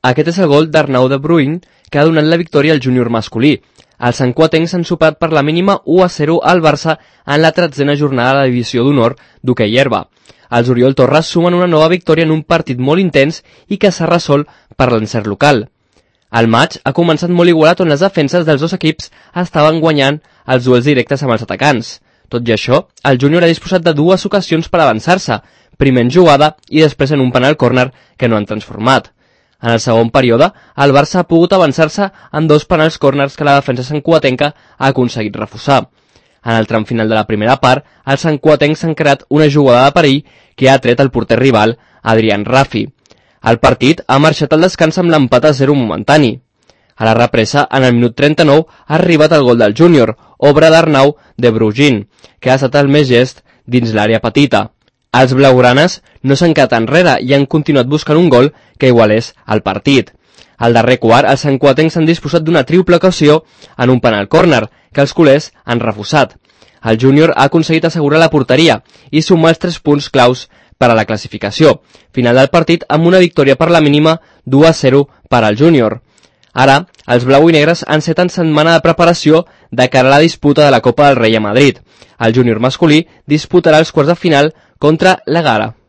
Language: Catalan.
Aquest és el gol d'Arnau de Bruyn, que ha donat la victòria al júnior masculí. Els santcuatencs han superat per la mínima 1-0 al Barça en la 13a jornada de la divisió d'honor d'hoquei herba. Els Oriol Torres sumen una nova victòria en un partit molt intens i que s'ha resolt per l'encert local. El maig ha començat molt igualat on les defenses dels dos equips estaven guanyant els duels directes amb els atacants. Tot i això, el júnior ha disposat de dues ocasions per avançar-se, primer en jugada i després en un penal córner que no han transformat. En el segon període, el Barça ha pogut avançar-se en dos penals córners que la defensa santcuatenca ha aconseguit refusar. En el tram final de la primera part, els santcuatencs han creat una jugada de perill que ha tret el porter rival, Adrián Rafi. El partit ha marxat al descans amb l'empat a 0 momentani. A la represa, en el minut 39, ha arribat el gol del júnior, obra d'Arnau de Bruyn, que ha estat el més gest dins l'àrea petita. Els blaugranes no s'han quedat enrere i han continuat buscant un gol que igualés el partit. Al darrer quart, els santcuatencs s'han disposat d'una triple ocasió en un penal córner, que els culers han refusat. El júnior ha aconseguit assegurar la porteria i sumar els 3 punts claus per a la classificació. Final del partit amb una victòria per la mínima 2-0 per al júnior. Ara, els blau i negres han set en setmana de preparació de cara a la disputa de la Copa del Rei a Madrid. El júnior masculí disputarà els quarts de final contra la Gara.